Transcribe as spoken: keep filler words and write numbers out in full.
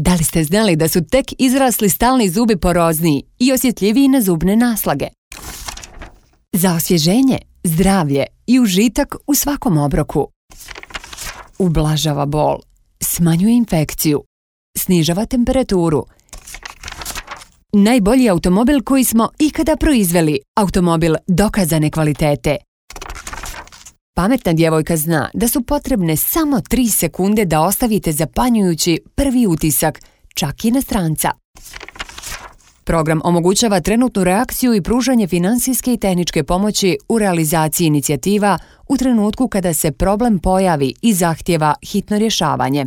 Da li ste znali da su tek izrasli stalni zubi porozniji i osjetljiviji na zubne naslage? Za osvježenje, zdravlje i užitak u svakom obroku. Ublažava bol, smanjuje infekciju, snižava temperaturu. Najbolji automobil koji smo ikada proizveli, automobil dokazane kvalitete. Pametna djevojka zna da su potrebne samo tri sekunde da ostavite zapanjujući prvi utisak, čak i na stranca. Program omogućava trenutnu reakciju i pružanje finansijske i tehničke pomoći u realizaciji inicijativa u trenutku kada se problem pojavi i zahtijeva hitno rješavanje.